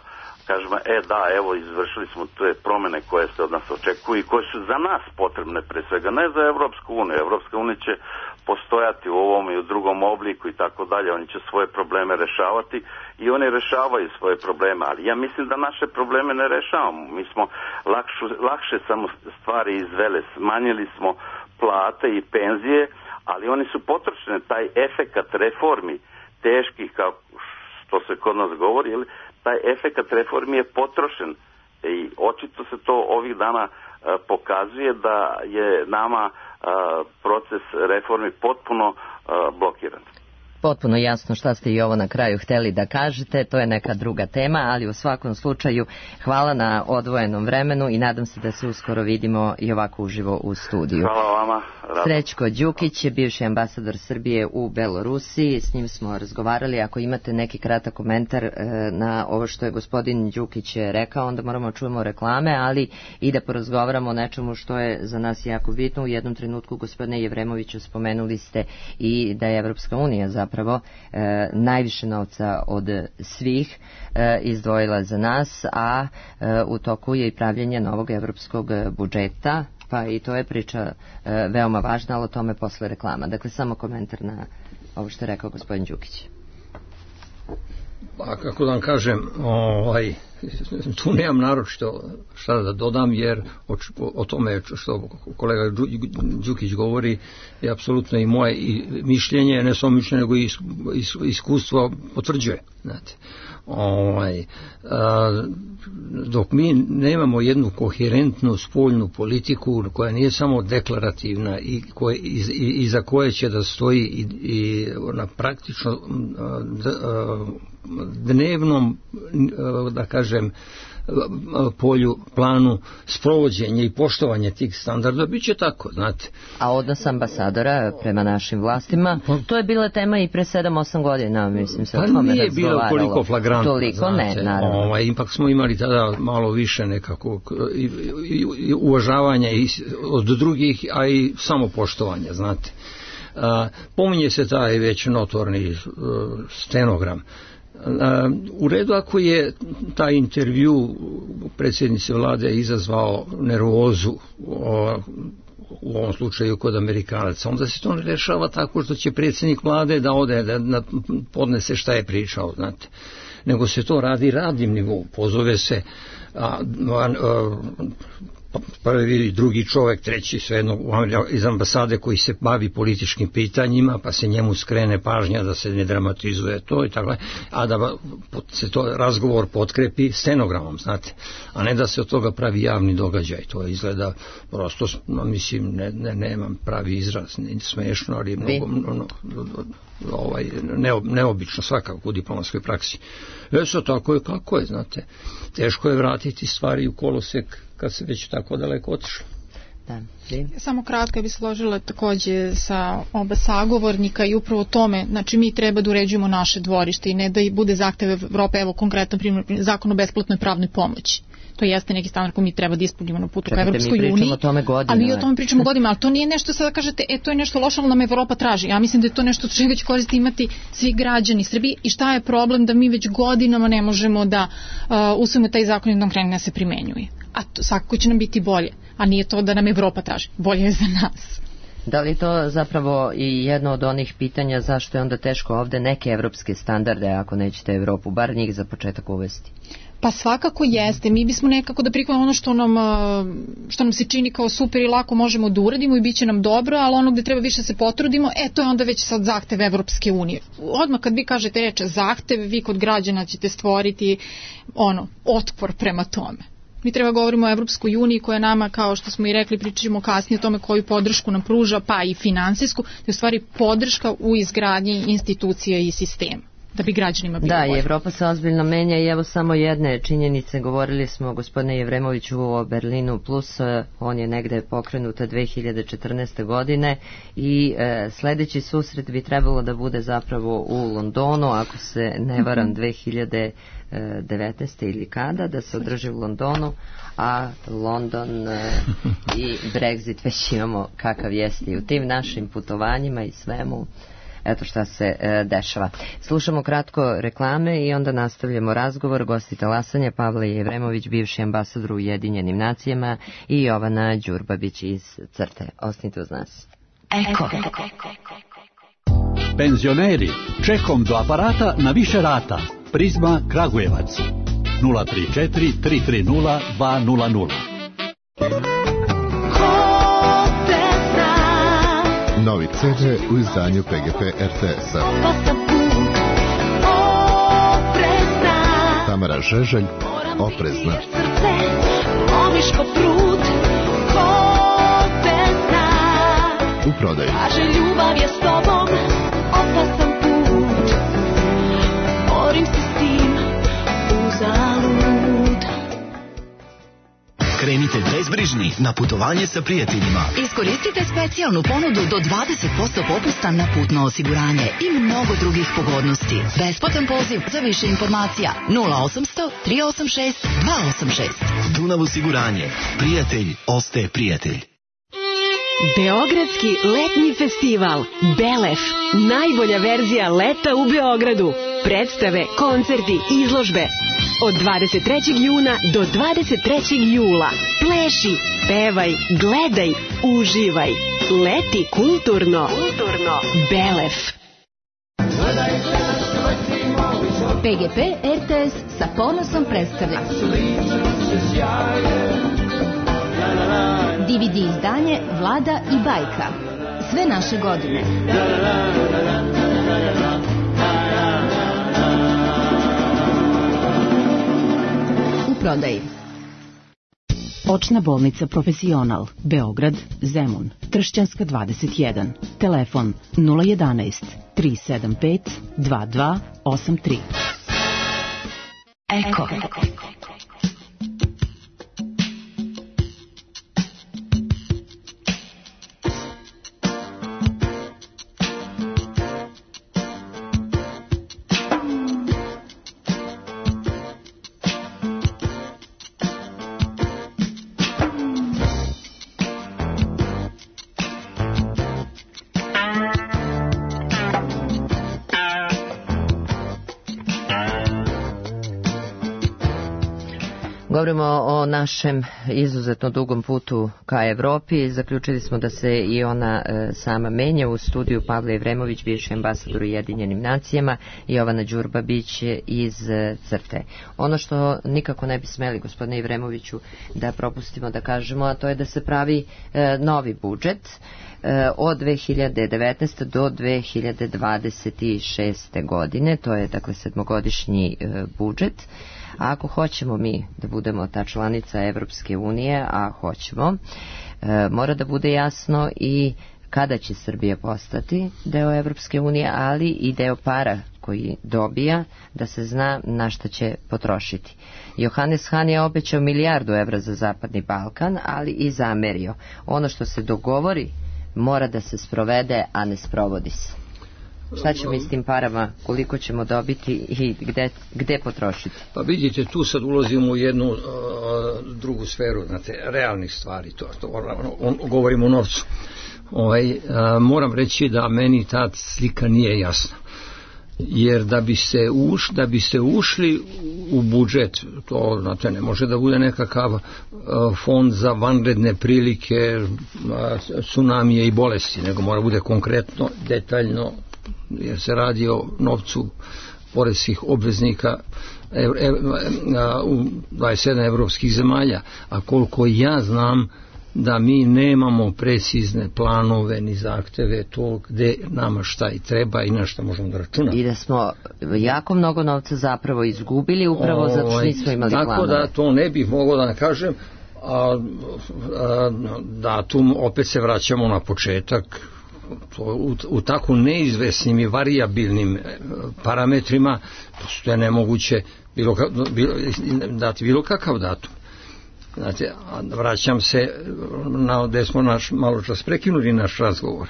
kažemo, e da, evo, izvršili smo te promene koje se od nas očekuju i koje su za nas potrebne pre svega, ne za Evropsku uniju. Evropska unija će postojati u ovom i u drugom obliku i tako dalje, oni će svoje probleme rešavati i oni rešavaju svoje probleme, ali ja mislim da naše probleme ne rešavamo. Mi smo lakšu, lakše samo stvari izvele, smanjili smo plate i penzije, ali oni su potrošene, taj efekat reformi teških, kao što se kod nas govori, ili taj efekat reformi je potrošen i očito se to ovih dana a, pokazuje da je nama a, proces reformi potpuno a, blokiran. Potpuno jasno šta ste i ovo na kraju hteli da kažete, to je neka druga tema, ali u svakom slučaju hvala na odvojenom vremenu i nadam se da se uskoro vidimo i ovako uživo u studiju. Hvala vama. Rado. Srećko Đukić je bivši ambasador Srbije u Belorusiji, s njim smo razgovarali. Ako imate neki kratak komentar e, na ovo što je gospodin Đukić rekao, onda moramo čujemo reklame, ali i da porazgovaramo o nečemu što je za nas jako bitno. U jednom trenutku, gospodine Jevremoviću, spomenuli ste i da je Evropska unija zapravo e, najviše novca od svih e, izdvojila za nas, a e, u toku je i pravljenje novog evropskog budžeta, pa i to je priča e, veoma važna, ali o tome posle reklama. Dakle, samo komentar na ovo što je rekao gospodin Đukić. Pa kako da vam kažem, ovaj, tu nemam naročito šta da dodam, jer o, o tome što kolega Đukić govori je apsolutno i moje i mišljenje, ne samo mišljenje, nego i iskustvo potvrđuje. Znate. Ovaj, a, dok mi nemamo jednu koherentnu spoljnu politiku koja nije samo deklarativna i, koje, i, i, i za koje će da stoji i, i na praktično a, d, a, dnevnom, da kažem, polju, planu sprovođenja i poštovanja tih standarda, bit će tako, znate. A odnos ambasadora prema našim vlastima, to je bila tema i pre sedam osam godina, mislim se o tome razgovaralo. Pa nije bilo toliko flagrantno, toliko, znate, ne, naravno. Ovaj, ipak smo imali tada malo više nekakvog i, i, i uvažavanja i od drugih, a i samopoštovanja, znate. A, pominje se taj već notorni uh, stenogram. U redu ako je taj intervju predsjednice vlade izazvao nervozu u ovom slučaju kod Amerikanaca, onda se to ne rešava tako što će predsjednik vlade da ode da podnese šta je pričao, znate, nego se to radi radnim nivou, pozove se a, a, a, prvi, drugi čovjek, treći, svejedno iz ambasade koji se bavi političkim pitanjima, pa se njemu skrene pažnja da se ne dramatizuje to i tako, a da se to razgovor potkrepi stenogramom, znate, a ne da se od toga pravi javni događaj. To izgleda prosto, mislim, ne, ne, nemam pravi izraz, ne smešno, ali mnogo, no, ovaj, neo, neobično svakako u diplomatskoj praksi. E sad, tako je kako je, znate, teško je vratiti stvari u kolosek kad se već tako daleko otišlo. Da. Samo kratko bi složila takođe sa oba sagovornika i upravo tome, znači mi treba da uređujemo naše dvorište i ne da bude zahtev Evrope, evo konkretno primjer, zakon o besplatnoj pravnoj pomoći. To jeste neki standard koji mi treba da ispunimo na putu ka Evropskoj uniji. Mi pričamo o tome godinama. Ali mi o tome pričamo godinama, ali to nije nešto sada kažete, e to je nešto loše, ali nam Evropa traži. Ja mislim da je to nešto što već koristi imati svi građani Srbije i šta je problem da mi već godinama ne možemo da uh, usvojimo taj zakon i da krene da se primenjuje. A to svakako će nam biti bolje, a nije to da nam Evropa traži. Bolje je za nas. Da li to zapravo i jedno od onih pitanja zašto je onda teško ovde neke evropske standarde, ako nećete Evropu, bar njih za početak uvesti? Pa svakako jeste. Mi bismo nekako da prikladimo ono što nam, što nam se čini kao super i lako možemo da uradimo i bit će nam dobro, ali ono gde treba više se potrudimo, e to je onda već sad zahtev Evropske unije. Odmah kad vi kažete reč zahtev, vi kod građana ćete stvoriti ono, otpor prema tome. Mi treba govorimo o Evropskoj uniji koja nama, kao što smo i rekli, pričamo kasnije o tome koju podršku nam pruža, pa i finansijsku, to je u stvari podrška u izgradnji institucija i sistema. da bi građanima bilo da, bolje. Da, i Evropa se ozbiljno menja i evo samo jedne činjenice, govorili smo gospodine Jevremoviću o Berlinu plus, on je negde pokrenuta dve hiljade četrnaeste. godine i e, sledeći susret bi trebalo da bude zapravo u Londonu, ako se ne varam dve hiljade devetnaeste. ili kada, da se održi u Londonu, a London e, i Brexit već imamo kakav jeste i u tim našim putovanjima i svemu. Eto šta se e, dešava. Slušamo kratko reklame i onda nastavljamo razgovor. Gosti talasanja Pavle Jevremović, bivši ambasador u Ujedinjenim nacijama, i Jovana Đurbabić iz Crte. Ostanite uz nas. Eko. Penzioneri, čekom do aparata na više rata. Prizma Kragujevac. nula tri četiri tri tri nula dva nula nula. Novi ce de u izdanju P G P R T S-a. Tamara Žeželj, Oprezna. U prodaju. Ljubav je s tobom, opasan put. Borim se s tim, uzalud. Krenite bezbrižni na putovanje sa prijateljima. Iskoristite specijalnu ponudu do dvadeset posto popusta na putno osiguranje i mnogo drugih pogodnosti. Besplatan poziv za više informacija nula osamsto tri osam šest dva osam šest. Dunav osiguranje. Prijatelj ostaje prijatelj. Beogradski letnji festival Belef. Najbolja verzija leta u Beogradu. Predstave, koncerti, izložbe. Od dvadeset trećeg juna do dvadeset trećeg jula. Pleši, pevaj, gledaj, uživaj. Leti kulturno. Kulturno. Belef. P G P R T S sa ponosom predstavlja D V D izdanje Vlada i bajka. Sve naše godine. U prodaji. Očna bolnica Profesional, Beograd, Zemun, Tršćanska dvadeset jedan. Telefon nula jedanaest tri sedam pet dva dva osam tri. Eko. Govorimo o našem izuzetno dugom putu ka Evropi. Zaključili smo da se i ona e, sama menja. U studiju Pavle Jevremović, bivši ambasador u Ujedinjenim nacijama, i Jovana Đurbabić iz e, Crte. Ono što nikako ne bi smeli, gospodine Jevremoviću, da propustimo da kažemo, a to je da se pravi e, novi budžet e, od dve hiljade devetnaeste. do dve hiljade dvadeset šeste. godine. To je, dakle, sedmogodišnji e, budžet. A ako hoćemo mi da budemo ta članica Evropske unije, a hoćemo, e, mora da bude jasno i kada će Srbija postati deo Evropske unije, ali i deo para koji dobija, da se zna na šta će potrošiti. Johannes Hahn je obećao milijardu evra za Zapadni Balkan, ali i zamerio. Ono što se dogovori mora da se sprovede, a ne sprovodi se. Šta ćemo i s tim parama, koliko ćemo dobiti i gde, gde potrošiti? Pa vidite, tu sad ulazimo u jednu uh, drugu sferu, znate, realnih stvari, to, to on, on, govorimo o novcu. Ovaj, uh, moram reći da meni ta slika nije jasna. Jer da bi se uš, da bi se ušli u budžet, to, znate, ne može da bude nekakav uh, fond za vanredne prilike, uh, tsunamije i bolesti, nego mora bude konkretno, detaljno, jer se radi o novcu poreskih obveznika ev, ev, u dvadeset sedam evropskih zemalja, a koliko ja znam da mi nemamo precizne planove ni zahteve to gde nama šta i treba i na šta možemo da računamo. I da smo jako mnogo novca zapravo izgubili upravo o, zato što nismo imali tako planove. Tako da to ne bih mogao da kažem, a, a, datum opet se vraćamo na početak u, u tako neizvesnim i varijabilnim parametrima prosto je nemoguće bilo, bilo, dati bilo kakav datum. Znate, vraćam se na gde smo naš, malo čas prekinuli naš razgovor.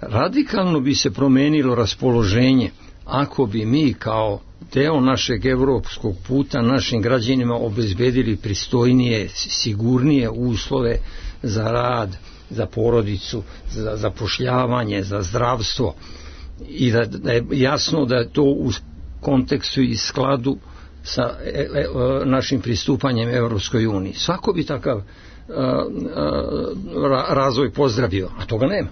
Radikalno bi se promenilo raspoloženje ako bi mi kao deo našeg evropskog puta našim građanima obezbedili pristojnije, sigurnije uslove za rad, za porodicu, za zapošljavanje, za zdravstvo i da, da je jasno da je to u kontekstu i skladu sa e, e, našim pristupanjem Evropskoj uniji. Svako bi takav a, a, razvoj pozdravio, a toga nema.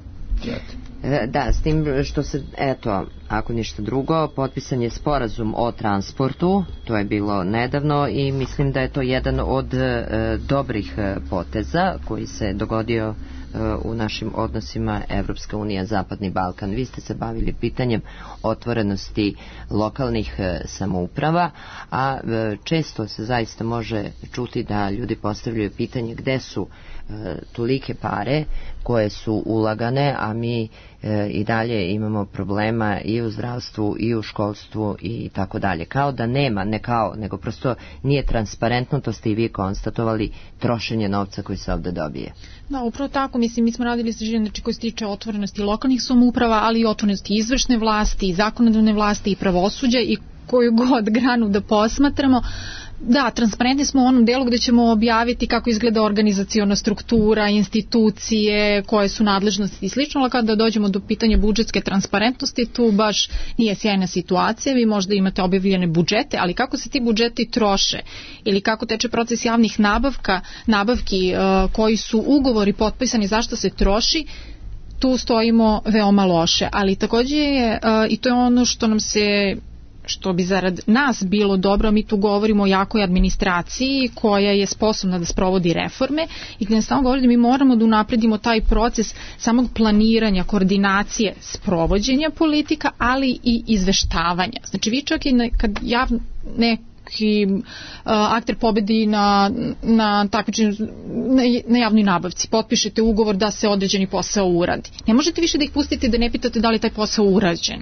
Da, s tim što se, eto, ako ništa drugo, potpisan je sporazum o transportu, to je bilo nedavno i mislim da je to jedan od e, dobrih poteza koji se dogodio u našim odnosima Evropska unija, Zapadni Balkan. Vi ste se bavili pitanjem otvorenosti lokalnih samouprava, a često se zaista može čuti da ljudi postavljaju pitanje gde su tolike pare koje su ulagane, a mi i dalje imamo problema i u zdravstvu i u školstvu i tako dalje. Kao da nema, ne kao, nego prosto nije transparentno, to ste i vi konstatovali, trošenje novca koji se ovde dobije. Da, upravo tako, mislim, mi smo radili istraživanje znači, koji se tiče otvorenosti lokalnih samouprava, ali i otvorenosti izvršne vlasti, i zakonodavne vlasti, i pravosuđa, i koju god granu da posmatramo. Da, transparentni smo u onom delu gde ćemo objaviti kako izgleda organizaciona struktura, institucije, koje su nadležnosti i slično, ali kada dođemo do pitanja budžetske transparentnosti, tu baš nije sjajna situacija. Vi možda imate objavljene budžete, ali kako se ti budžeti troše ili kako teče proces javnih nabavka, nabavki, uh, koji su ugovori potpisani, zašto se troši, tu stojimo veoma loše. Ali takođe je, uh, i to je ono što nam se što bi zarad nas bilo dobro, mi tu govorimo o jakoj administraciji koja je sposobna da sprovodi reforme i gdje nas samo govori da mi moramo da unapredimo taj proces samog planiranja, koordinacije, sprovođenja politika, ali i izveštavanja. Znači vi čak i ne, kad javno ne i uh, akter pobedi na, na takmičenju na, na javnoj nabavci, potpišete ugovor da se određeni posao uradi. Ne možete više da ih pustite da ne pitate da li taj posao urađen,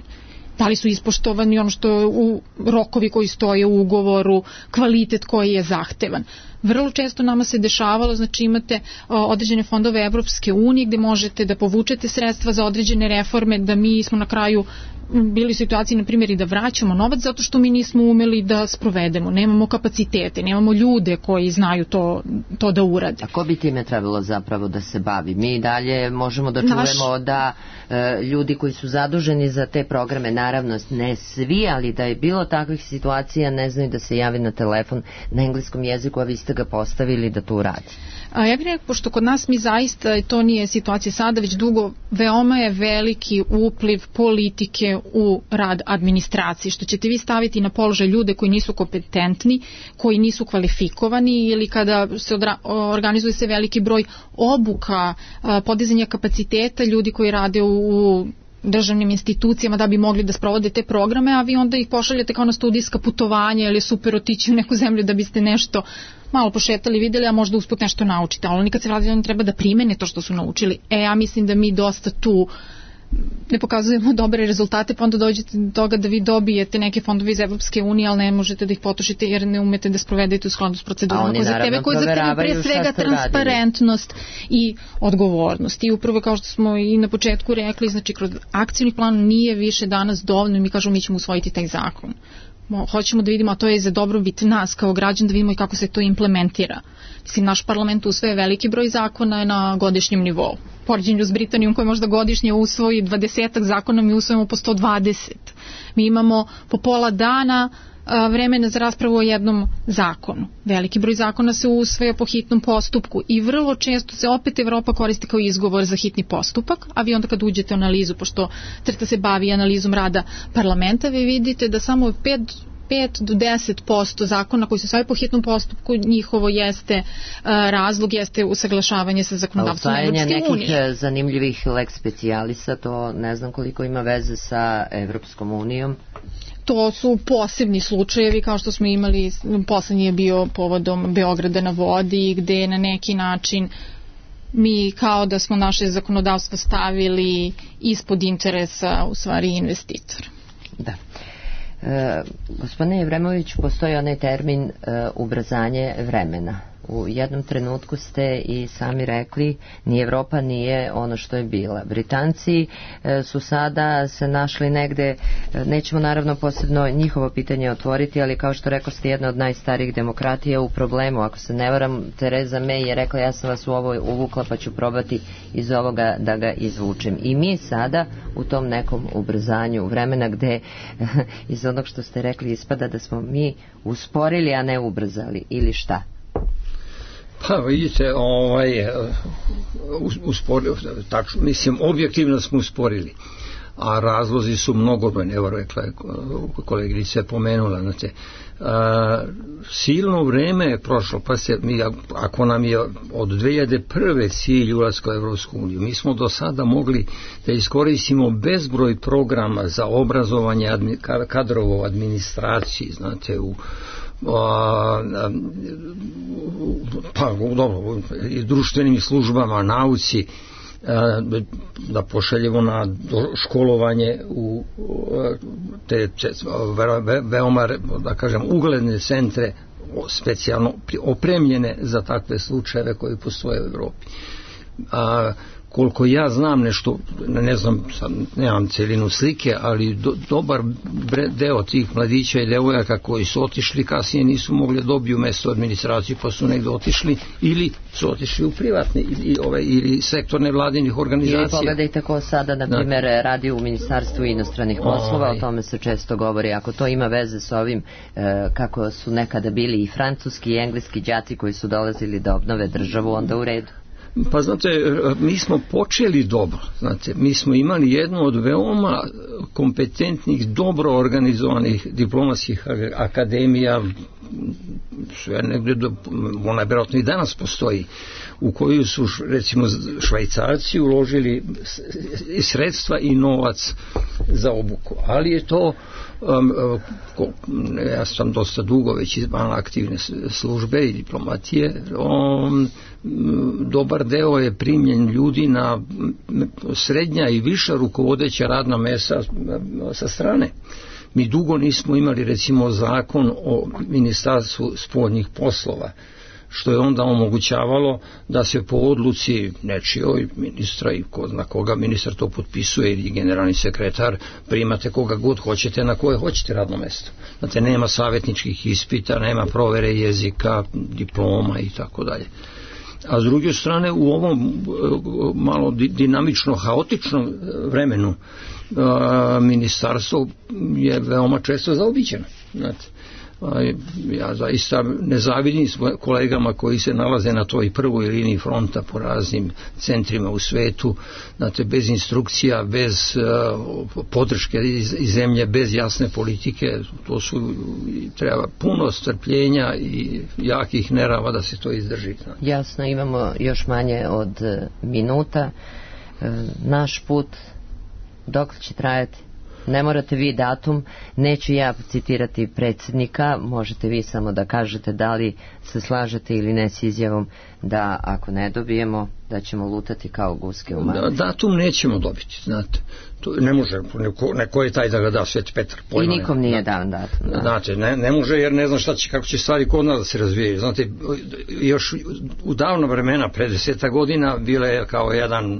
da li su ispoštovani ono što u rokovi koji stoje u ugovoru, kvalitet koji je zahtevan. Vrlo često nama se dešavalo, znači imate uh, određene fondove Evropske unije gde možete da povučete sredstva za određene reforme, da mi smo na kraju bili u situaciji, na primjer, i da vraćamo novac zato što mi nismo umeli da sprovedemo. Nemamo kapacitete, nemamo ljude koji znaju to, to da urade. A ko bi time trebalo zapravo da se bavi? Mi dalje možemo da čujemo Naš... da e, ljudi koji su zaduženi za te programe, naravno ne svi, ali da je bilo takvih situacija, ne znaju da se javi na telefon na engleskom jeziku, a vi ste ga postavili da to uradi. A ja bih rekao, pošto kod nas mi zaista, to nije situacija sada, već dugo, veoma je veliki upliv politike u rad administracije, što ćete vi staviti na položaj ljude koji nisu kompetentni, koji nisu kvalifikovani, ili kada se odra, organizuje se veliki broj obuka, podizanja kapaciteta ljudi koji rade u državnim institucijama da bi mogli da sprovode te programe, a vi onda ih pošaljete kao na studijska putovanja ili je super otići u neku zemlju da biste nešto malo pošetali, videli, a možda usput nešto naučite, ali oni kad se vrati oni treba da primene to što su naučili. E, ja mislim da mi dosta tu ne pokazujemo dobre rezultate, pa onda dođete do toga da vi dobijete neke fondove iz Evropske unije, ali ne možete da ih potrošite jer ne umete da sprovedete u skladu s procedurama koje zahtevaju, koje zahtevaju pre svega transparentnost i odgovornost. I upravo kao što smo i na početku rekli, znači kroz akcijni plan nije više danas dovoljno i mi kažemo mi ćemo usvojiti taj zakon. Hoćemo da vidimo, a to je za dobrobit nas kao građan, da vidimo i kako se to implementira. Mislim, naš parlament usvaja veliki broj zakona na godišnjem nivou. Poređenju s Britanijom koji možda godišnje usvoji dvadesetak zakona, mi usvojimo po sto dvadeset. Mi imamo po pola dana vremena za raspravu o jednom zakonu. Veliki broj zakona se usvaja po hitnom postupku i vrlo često se opet Evropa koristi kao izgovor za hitni postupak, a vi onda kad uđete u analizu, pošto CRTA se bavi analizom rada parlamenta, vi vidite da samo pet pet do deset posto zakona koji su sve po hitnom postupku, njihovo jeste uh, razlog, jeste usaglašavanje sa zakonodavstvom Evropske unije. Nekih zanimljivih lex specialisa, to ne znam koliko ima veze sa Evropskom unijom. To su posebni slučajevi, kao što smo imali, poslednji je bio povodom Beograda na vodi, gde je na neki način mi kao da smo naše zakonodavstvo stavili ispod interesa u stvari investitora. Da. E, gospodine Jevremović, postoji onaj termin e, ubrzanje vremena. U jednom trenutku ste i sami rekli, ni Evropa nije ono što je bila. Britanci e, su sada se našli negde, e, nećemo naravno posebno njihovo pitanje otvoriti, ali kao što rekao ste, jedna od najstarijih demokratija u problemu. Ako se ne varam, Tereza May je rekla, ja sam vas u ovo uvukla pa ću probati iz ovoga da ga izvučem. I mi sada u tom nekom ubrzanju vremena gde iz onog što ste rekli ispada da smo mi usporili, a ne ubrzali, ili šta? Pa vidite, ovaj, usporili, tačno, mislim, objektivno smo usporili, a razlozi su mnogobrojni, evo rekla je koleginica je pomenula, znate, a, silno vreme je prošlo, pa se, mi, ako nam je od dve hiljade prve cilj ulaska u Evropsku uniju, mi smo do sada mogli da iskoristimo bezbroj programa za obrazovanje admi, kadrova u administraciji, znate, u A, pa dobro, i društvenim službama, nauci, a, da pošaljemo na školovanje u te ve, veoma, da kažem, ugledne centre specijalno opremljene za takve slučajeve koji postoje u Evropi. A koliko ja znam nešto, ne znam, nemam celinu slike, ali do, dobar deo tih mladića i devojaka koji su otišli kasnije nisu mogli dobiju mesto administraciju, pa su negde otišli ili su otišli u privatne ili, ove, ili sektorne vladinih organizacija. Ili pogledajte ko sada, na primjer, radi u Ministarstvu inostranih poslova, o tome se često govori. Ako to ima veze s ovim, e, kako su nekada bili i francuski i engleski đaci koji su dolazili da obnove državu, onda u redu. Pa znate, mi smo počeli dobro, znate, mi smo imali jednu od veoma kompetentnih, dobro organizovanih diplomatskih akademija, sve negdje, ona vjerojatno i danas postoji, u koju su recimo Švajcarci uložili i sredstva i novac za obuku, ali je to um, ja sam dosta dugo već izvan aktivne službe i diplomatije, um, dobar deo je primljen ljudi na srednja i viša rukovodeća radna mesta sa strane. Mi dugo nismo imali recimo zakon o Ministarstvu spoljnih poslova, što je onda omogućavalo da se po odluci nečijoj ministra i ko zna koga ministar to potpisuje ili generalni sekretar, primate koga god hoćete na koje hoćete radno mesto. Znate, nema savjetničkih ispita, nema provere jezika, diploma i tako dalje. A s druge strane, u ovom malo dinamično, haotičnom vremenu ministarstvo je veoma često zaobiđeno. Znate, ja zaista ne zavidim s kolegama koji se nalaze na toj prvoj liniji fronta po raznim centrima u svetu, znate, bez instrukcija, bez uh, podrške iz, iz zemlje, bez jasne politike. To su, treba puno strpljenja i jakih nerava da se to izdrži. Znate. Jasno, imamo još manje od minuta. Naš put dok će trajati? Ne morate vi datum, neću ja citirati predsjednika, možete vi samo da kažete da li se slažete ili ne s izjavom da ako ne dobijemo, da ćemo lutati kao guske u magli. Da, datum nećemo dobiti, znate. To ne može, neko, neko je taj da ga da Sveti Petar. Pojma, I nikom nije dan datum. Da. Znate, ne, ne može jer ne zna šta će, kako će stvari kod nas da se razvijaju. Znate, još u davno vremena, pre deseta godina, bila je kao jedan uh,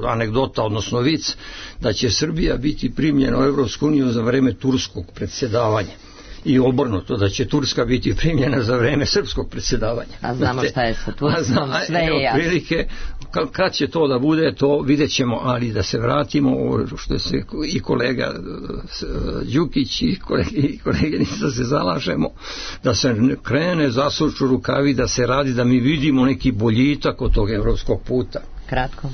anegdota, odnosno vic, da će Srbija biti primljena u Evropsku uniju za vreme turskog predsjedavanja. I obrnuto, da će Turska biti primljena za vreme srpskog predsjedavanja. A znamo šta je sa Turskom, sve je jasno. Prilike, kad će to da bude, to vidjet ćemo, ali da se vratimo, što se i kolega Đukić i koleginica se zalažemo, da se krene, zasuču rukavi, da se radi, da mi vidimo neki boljitak od tog evropskog puta. Kratko.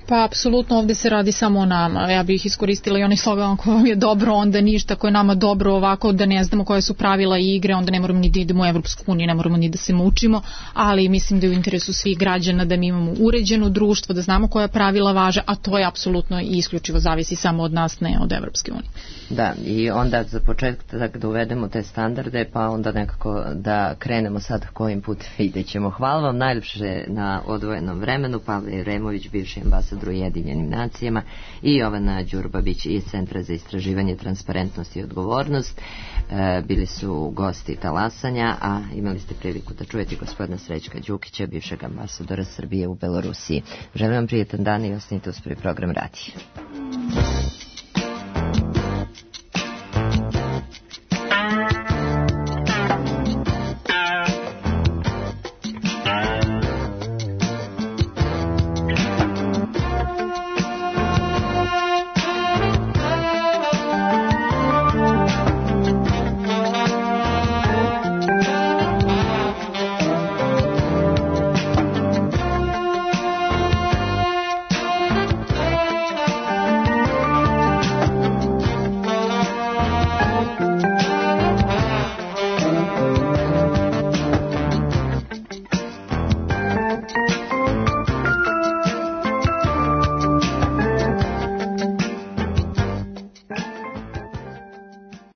Pa apsolutno ovde se radi samo o nama. Ja bih iskoristila i onaj slogan ko vam je dobro, onda ništa, ko je nama dobro ovako da ne znamo koje su pravila igre, onda ne moramo ni da idemo u Evropsku uniju, ne moramo ni da se mučimo, ali mislim da je u interesu svih građana da mi imamo uređeno društvo, da znamo koja pravila važe, a to je apsolutno i isključivo zavisi samo od nas, ne od Evropske unije. Da, i onda za početak da uvedemo te standarde, pa onda nekako da krenemo sad kojim put vidjet ćemo. Hvala vam najljepše na odvojenom vremenu, Pavle Jeremović, bivši ambasador u Ujedinjenim nacijama, i Jovana Đurbabić iz Centra za istraživanje transparentnosti i odgovornost. E, bili su gosti Talasanja, a imali ste priliku da čujete gospodina Srećka Đukića, bivšeg ambasadora Srbije u Belorusiji. Želim vam prijetan dan i ostanite uz prvi program radija.